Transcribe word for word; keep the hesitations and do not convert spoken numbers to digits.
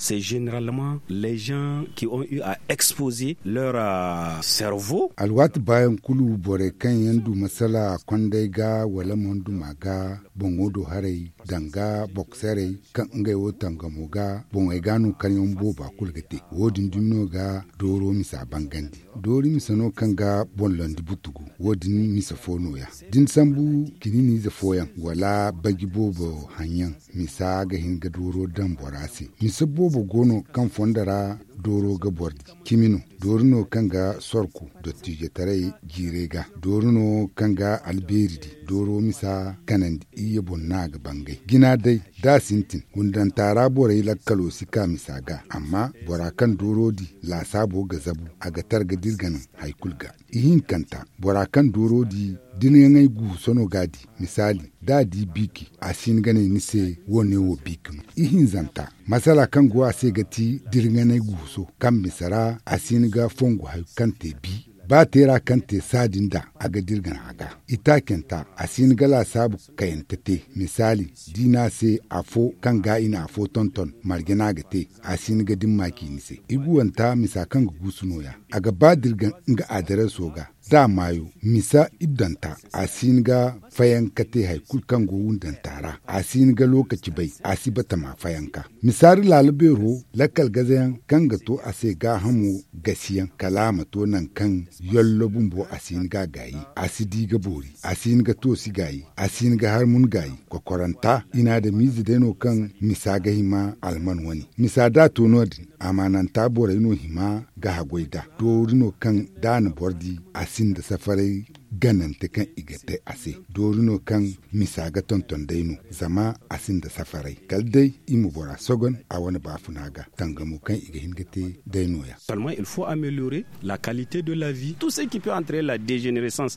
C'est généralement les gens qui ont eu à exposer leur cerveau. Alwaati baayaŋ kulu borey kaŋ yaŋ du masala kondey ga wala monduma ga boŋo do haray, danga bokserey kaŋ ngey wo tangamo ga boŋey ga no kaŋ yaŋ booba kulu ga te. Wo- din dumi no ga dooro misa bangandi. Doori misa no kaŋ ga boŋ landi butugu. Wo- din misa fo nooya. Da ni sambu kiniiniize fooyaŋ wala baji boobo haŋyaŋ, misa ga hin ga dooro daŋ bora se. Misa boobo go no kaŋ fondo ra dooro ga boro di. Cimi no doori no kaŋ ga sorku dottiijetaray jiirey ga. Doori no kaŋ ga albeeri di. Dooro misa kanandi iyye boŋ no a ga bangay. Jina day da a sintin, gundanta ra borey lakkalo si ka misa ga. Amma bora kaŋ dooro di laasaabo ga zabu, a ga targa da iri ga naŋ hari kulu ga. Ihinkanta, bora kaŋ dooro di, da ni ga ŋay guuso no ga a di. Misaali, da a di biiki, a si hin ga ne ni se wo- ne wo biiki no. Ihinzanta, masala kaŋ go a se ga ti da iri ga ŋay guuso kaŋ misa ra, a si hin ga fongu hari kaŋ te bi. Ba teera kaŋ te saadin da, a ga dirgan a ga. Itaacanta, a si hin ga laasaabu kayante te. Misaali, da i ne a se afo kaŋ ga i na afo tonton marje no a ga te, a si hin ga dimma ci ni se. Iguwanta misa kaŋ ga guusu nooya. A ga ba dirgan nga adareso ga. Da a maayo, misa iddanta, a si hin ga fayanka te hari kulu kaŋ go wundanta ra. A si hin ga lookaci bay, a si batama fayanka. Misa da laala beero, lakkal gazayaŋ kaŋ ga to a se gaahamo gasiyaŋ kala a ma to nangu kaŋ yollo bumbo a si hin ga a gaayi. A si di ga boori, a si hin ga toosi gaayi, a si hin ga harmun gaayi. Kokoranta, i na adamiize day no kaŋ misa ga hima alman wane. Misa da a to no- din, amaananta borey no hima ga haggoy nd'a. Doori no kaŋ da a na boro di, a sinda safaray ganante kaŋ i ga te a se. Doori no kaŋ misa ga tonton day no, zama a sinda safaray. Kala day i ma bora sogon a wane baafuna ga, tangamo kaŋ i ga hin ga te day nooya. Seulement il faut améliorer la qualité de la vie. Tout ce qui peut entraîner la dégénérescence.